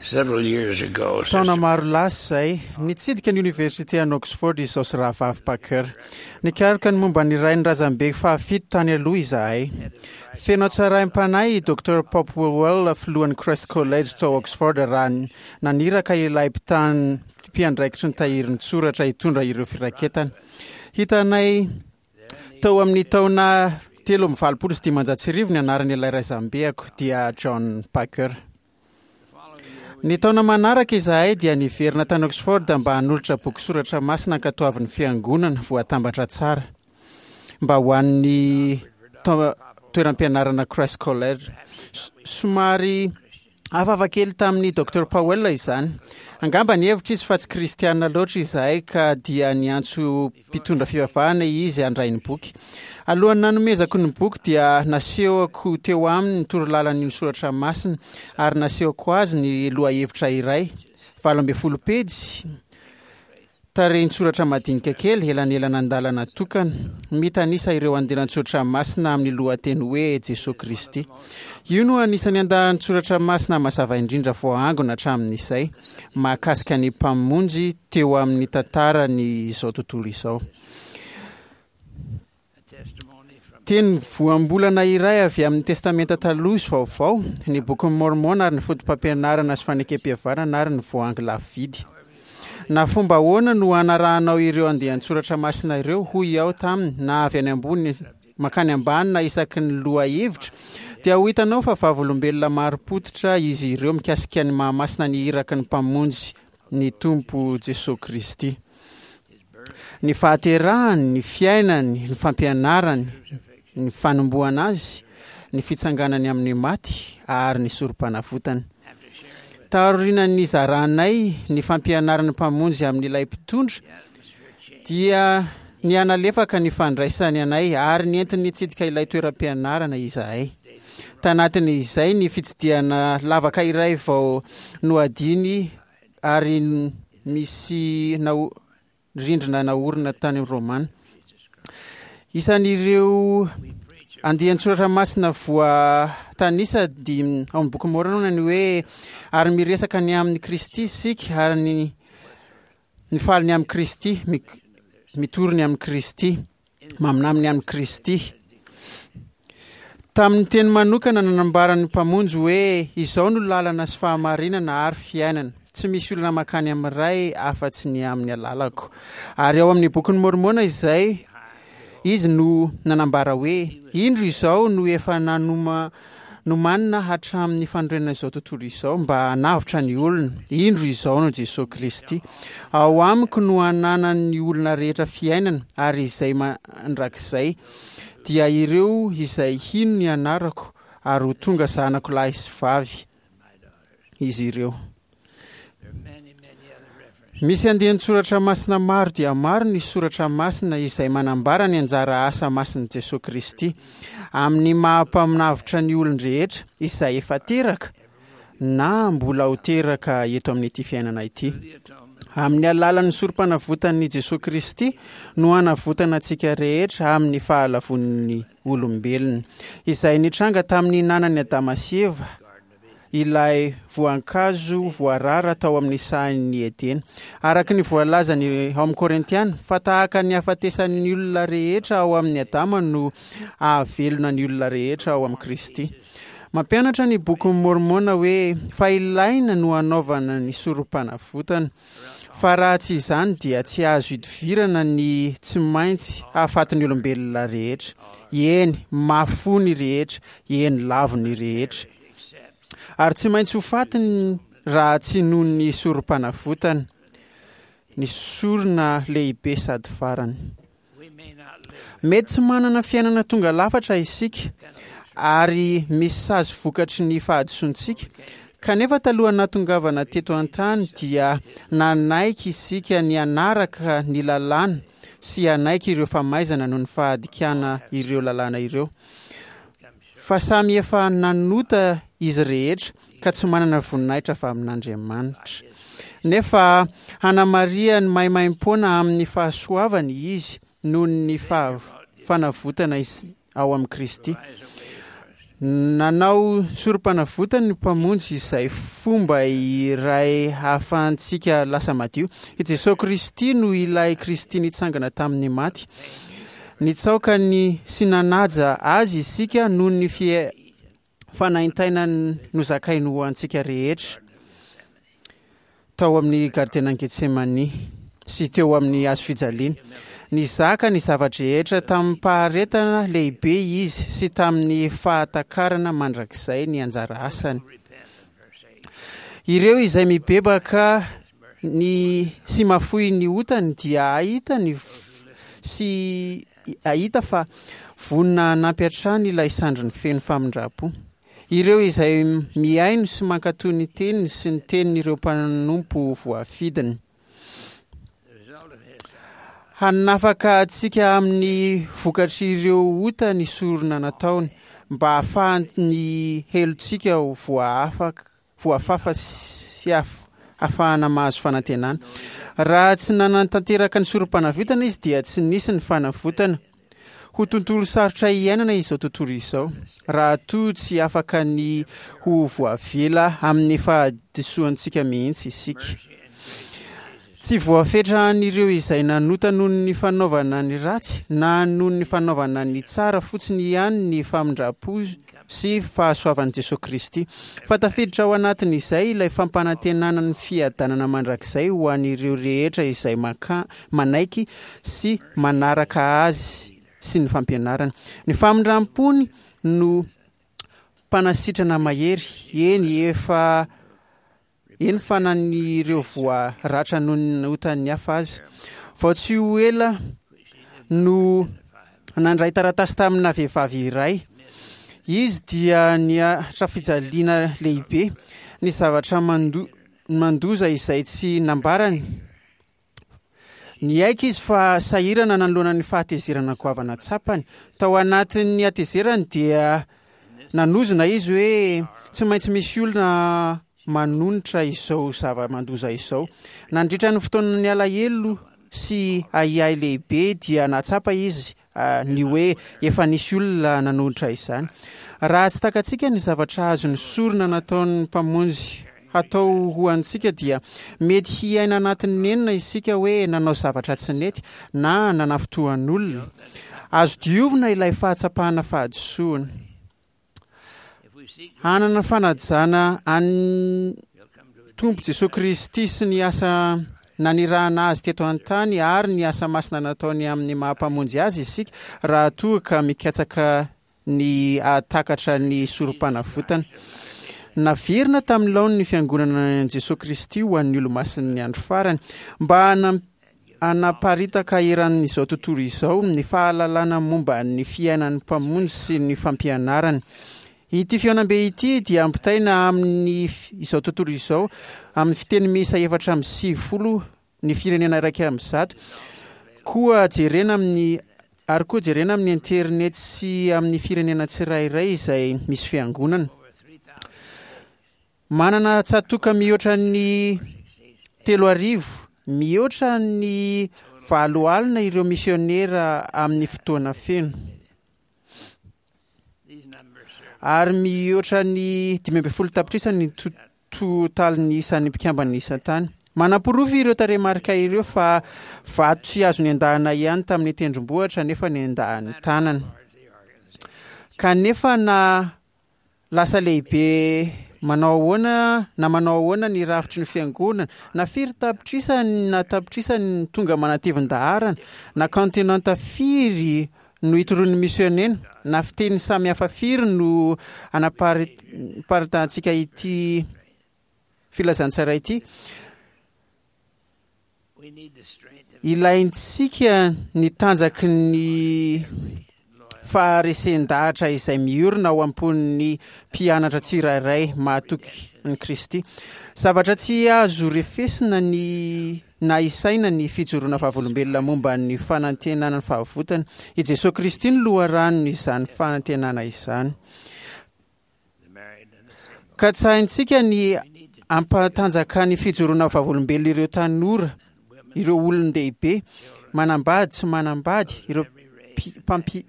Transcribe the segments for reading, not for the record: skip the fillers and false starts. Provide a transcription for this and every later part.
Several years ago, Taona Sister maro lasa izay, nitsidika ny oniversite any Oxford izaho sy rahavavy Packer. Nikaroka ny momba ny rain'ny razambe fahafito tany aloha izahay. Feno hatsaram-panahy i Dr. Popplewell, filohan'ny Christ College tao Oxford, raha naniraka ilay mpitan mpiandraikitry ny tahirin-tsoratra hitondra ireo firaketana. Hitanay tao amin'ny taona 1583 ny anaran'ilay razambeako, dia John Packer. Ny taona manaraka izahay dia niverina tany Oxford mba hanolotra boky soratra masina ankatoavin'ny fiangonana voatambatra tsara mba ho an'ny toeram-pianarana Christ College. Somary hafahafa kely tamin'ny Docteur Powell izany. Angamba nihevitra izy fa tsy kristiana loatra izahay ka dia niantso mpitondra fivavahana izy handray ny boky. Alohan'ny nanomezako ny boky dia nasehoko teo aminy ny torolalan'ny soratra masina ary nasehoko azy ny lohahevitra iray, 18 pejy, tarehin-tsoratra madinika kely, elanelana-andalana tokana, mitanisa ireo andilan-tsoratra masina amin'ny lohateny hoe Jesoa Kristy. Io no anisan'ny andalan-tsoratra masina mazava indrindra voaangona hatramin'izay. mahakasika ny Mpamonjy teo amin'ny tantaran'izao tontolo izao. Teny voambolana iray avy amin'ny Testamenta Taloha sy Vaovao, ny Bokin'i Môrmôna ary ny Fotopampianarana sy Fanekempihavanana ary ny Voahangy Lafo Vidy. Na fomba ahoana no hanarahanao ireo andian-tsoratra masina ireo, hoy aho taminy, na avy any ambony mankany ambany na isaky ny lohahevitra, dia ho hitanao fa vavolombelona marim-pototra izy ireo mikasika ny maha-masina ny iraky ny Mpamonjy, ny Tompo Jesoa Kristy. Ny fahaterahany, ny fiainany, ny fampianarany, ny fanombohana azy, ny fitsanganany amin'ny maty ary ny sorompanavotany. Taorian'ny nizaranay ny fampianaran'ny Mpamonjy amin'ilay mpitondra, dia nihanalefaka ny fandraisany anay ary nentiny nitsidika ilay toeram-pianarana izahay. Tanatin'izay ny fitsidihana lavaka iray vao nohadiny ary misy rindrina naorina tany Romana. Isan'ireo andian-tsoratra masina voatanisa dia ao amin'ny boky Môrmôna ny hoe ary miresaka ny amin'i Kristy isika ary ny Mifaly ny amin'i Kristy, mitory ny amin'i Kristy, maminany ny amin'i Kristy. Tamin'ny teny manokana nanambaran'ny Mpamonjy hoe, Izao no lalana sy fahamarinana ary fiainana. Tsy misy olona mankany amin'ny Ray afa-tsy ny amin'ny alalako. Ary ao amin'ny Bokin'i Môrmôna izay Izy no nanambara hoe, Indro izao no efa nanoma nomanina hatramin'ny fanorenana izao tontolo izao mba hanavotra ny olona. Indro izao no Jesoa Kristy. Ao amiko no hananan'ny olona rehetra fiainana ary izay mandrakizay, dia ireo izay hino ny anarako ary ho tonga zanako lahy sy vavy izy ireo. Misy andian-tsoratra masina maro dia maro ny soratra masina izay manambara ny anjara asa masin'i Jesoa Kristy amin'ny maha-mpaminavotra ny olon-drehetra izay efa teraka na mbola ho teraka eto amin'ity fiainana ity. Amin'ny alalan'ny sorompanavotan'i Jesoa Kristy no hanavotana antsika rehetra amin'ny fahalavoan'ny olombelona, izay nitranga tamin'ny nanan'i Adama sy Eva ilay voankazo voarara tao amin'ny sahan'i Edena. Araka ny voalazany ao amin'ny Korintiana, fa tahaka ny hahafatesan'ny olona rehetra ao amin'i Adama no ahavelona ny olona rehetra ao amin'i Kristy. Mampianatra ny Bokin'i Môrmôna hoe fa ilaina no hanaovana ny sorompanavotana, fa raha tsy izany dia tsy azo idovirana ny tsy maintsy hahafaty ny olombelona rehetra. Eny, mafy fo ny rehetra, eny, lavo ny rehetra. Ary tsy maintsy ho faty raha tsy noho ny sorompanavotana, ny sorona lehibe sady farany. Mety tsy manana fiainana tonga lafatra isika ary misy sazy vokatry ny fahadisoantsika, kanefa talohan'ny nahatongavana teto an-tany dia nanaiky isika ny hanaraka ny lalàna sy hanaiky ireo famaizana noho ny fahadikana ireo lalàna ireo. Fa samy efa nanota izy rehetra ka tsy manana voninahitra avy amin'Andriamanitra. Nefa hanamarihany maimaimpoana amin'ny fahasoavany izy noho ny fanavotana ao amin'i Kristy. Nanao sorom-panavotana ny Mpamonjy izay fomba iray hahafahantsika lasa madio. I Jesoa Kristy no ilay Kristy nitsangana tamin'ny maty. Nitsaoka ny sy nanaja Azy isika noho ny fanaintainany nozakainy ho antsika rehetra tao amin'ny Gardenan'i Getsemani sy teo amin'ny hazo fijaliana. Nizaka ny zava-drehetra tamim-paharetana lehibe izy sy tamin'ny fahatakarana mandrakizay ny anjara asany. Ireo izay mibebaka ny sy mafoy ny otany dia hahita ny sy hahita fa vonona hanampy hatrany ilay sandriny feno famindram-po. Ireo izay mihaino sy mankatò ny teniny sy ny tenin'ireo mpanompo voafidiny. Hanafaka antsika amin'ny vokatr'ireo ota ny sorona nataony, mba hahafahan'ny helotsika ho voaafaka voafafa sy hahafahana mahazo fanantenana. Raha tsy nanatanteraka ny sorom-panavotana izy dia tsy nisy ny fanavotana. Ho tontolo sarotra iainana izao tontolo izao, raha toa tsy afaka ny ho voavela amin'ny fahadisoantsika mihitsy isika. Tsy voafetra an'ireo izay nanota noho ny fanaovana ny ratsy na noho ny fanaovana ny tsara fotsiny ihany ny famindram-po sy fahasoavan'i Jesoa Kristy, fa tafiditra ao anatin'izay ilay fampanantenana ny fiadanana mandrakizay ho an'ireo rehetra izay maka, manaiky sy manaraka Azy sy ny fampianarany. Ny famindram-pony no mpanasitrana mahery, eny efa Eny fa na ny ireo voa ratra noho ny otan'ny hafa aza. Vao tsy ho ela no nandray taratasy tamina vehivavy iray. Izy dia niaritra fijaliana lehibe, ny zavatra mandoza izay tsy nambarany. Niaiky izy fa sahirana nanoloana ny fahatezerana goavana tsapany. Tao anatin'ny hatezerany dia nanozona izy hoe tsy maintsy misy olona manonitra izao zava-mandoza izao. Nandritra ny fotoanan'ny alahelo sy ahiahy lehibe dia nahatsapa izy ny hoe efa nisy olona nanohitra izany. Raha tsy takatsika ny zavatra azon'ny sorona nataon'ny Mpamonjy hatao ho antsika dia mety hiaina anatin'ny nenina isika hoe nanao zavatra tsy nety na nanafintohan'olona. Azo diovina ilay fahatsapana fahadisoana. Hanana fanajana an'ny Tompo Jesoa Kristy sy ny asa nanirahana Azy teto an-tany ary ny asa masina nataony amin'ny maha-Mpamonjy Azy isika raha toa ka mikatsaka ny hahatakatra ny Sorompanavotana. Naverina tamin'ny laoniny ny Fiangonana an'i Jesoa Kristy ho an'ny Olomasin'ny Andro Farany mba hanaparitaka eran'izao tontolo izao ny fahalalana momba ny fiainan'ny Mpamonjy sy ny fampianarany. Ity fihaonambe ity dia ampitaina amin'ny izao tontolo izao amin'ny fiteny miisa 94 ny firenena 101 koa jerena amin'ny ary koa jerena amin'ny internet sy amin'ny firenena tsirairay izay misy fiangonana. Manana tsatoka mihoatra ny 3000, mihoatra ny 80 ireo misionera amin'ny fotoana feno, ary mihoatra ny 15 tapitrisa ny totalin'ny isan'ny mpikambana isan-tany. Manaporofo ireo tarehimarika ireo fa vato tsy azo nendahana ihany tamin'ny tendrombohitra nefa nendahan'ny tanana. Kanefa na Lasa lehibe manao ahoana na manao ahoana ny rafitry ny fiangonana, na firy tapitrisa na tapitrisa ny tonga manatevin-daharana, na kaontinanta firy no itoroan'ny misionena, na fiteny samy hafa firy no anaparitahantsika ity filazantsara ity, Ilaintsika ny tanjaky ny faharesen-dahatra izay miorina ao am-pon'ny mpianatra tsirairay mahatoky an'i Kristy. Zavatra tsy azo refesina ny na isaina ny fijoroana vavolombelona momba ny fanantenana ny fahavotana. I Jesoa Kristy no loharanon'izany fanantenana izany. Katsahintsika ny hampatanjaka ny fijoroana vavolombelona ireo tanora, ireo olon-dehibe, manambady, tsy manambady, ireo.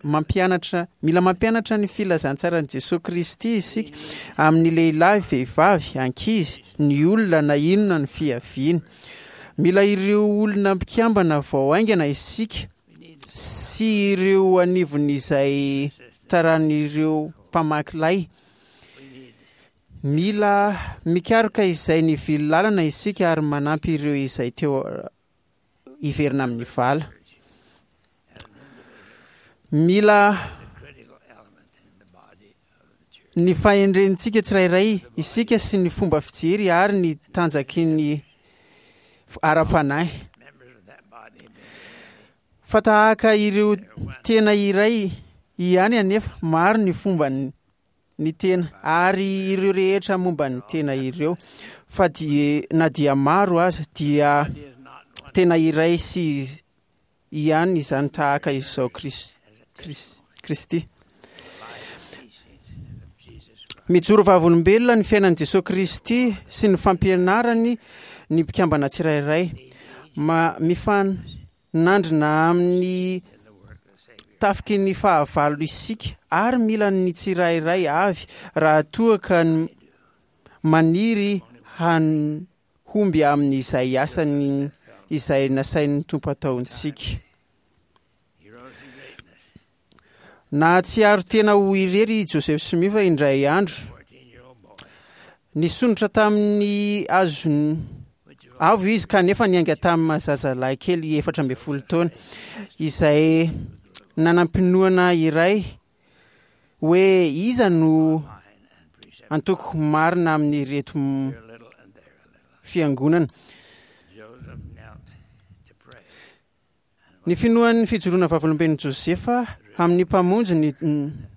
mampianatra mila mampianatra ny filazantsaran'i Jesoa Kristy isika amin'ny lehilahy, vehivavy, ankizy, ny olona na inona ny fiaviany. Mila ireo olona mpikambana vao haingana isika sy ireo anivon'izay taran'ireo mpamaky lay. Mila mikaroka izay nivily lalana isika ary manampy ireo izay teo hiverina amin'ny vala. Mila ny fahendrentsika tsirairay isika sy ny fomba fijery ary ny tanjaky ny ara-panahy. Fa tahaka ireo tena iray ihany anefa, maro ny fomba ny tena ary ireo rehetra momba ny tena ireo fa dia na dia maro aza dia tena iray sy ihany izany tahaka izao Kristy. Mijoro vavolombelona ny fiainan'i Jesoa Kristy sy ny fampianarany ny mpikambana tsirairay. Ma, mifanandrina amin'ny tafiky ny fahavalo isika ary mila ny tsirairay avy raha toa ka maniry han homby amin'izay asany izay nasain'ny Tompo ataontsika. Nahatsiaro tena ho irery i Joseph Smith indray andro. Nisondrotra tamin'ny azony avo izy kanefa niainga tamin'ny zazalahy kely 14 taona izay nanam-pinoana iray hoe iza no antoko marina amin'ireto fiangonana. Ny finoan'ny fijoroana vavolombelon'i Josefa amin'ny Mpamonjy ny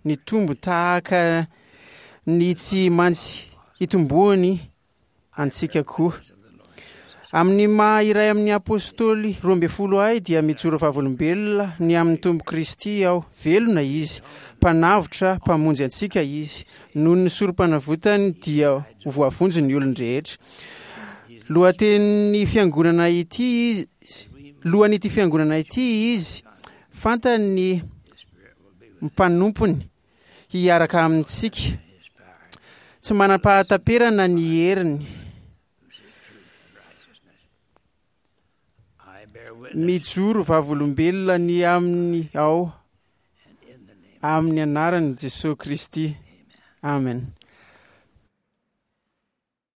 nitombo tahaka ny tsy mantsy hitomboany antsika koa. Amin'ny maha iray amin'ny Apôstôly 12 ahy dia mijoro vavolombelona ny amin'ny Tompo Kristy aho. Velona Izy, Mpanavotra, Mpamonjy antsika Izy. Noho ny sorompanavotany dia ho voavonjy ny olon-drehetra. Lohatenin'ny fiangonana ity Izy, lohan'ity fiangonana ity Izy. Fantany ny mpanompony hiaraka amintsika. Tsy manam-pahataperana ny heriny. Mijoro vavolombelona ny aminy aho amin'ny anaran'i Jesoa Kristy. Amen.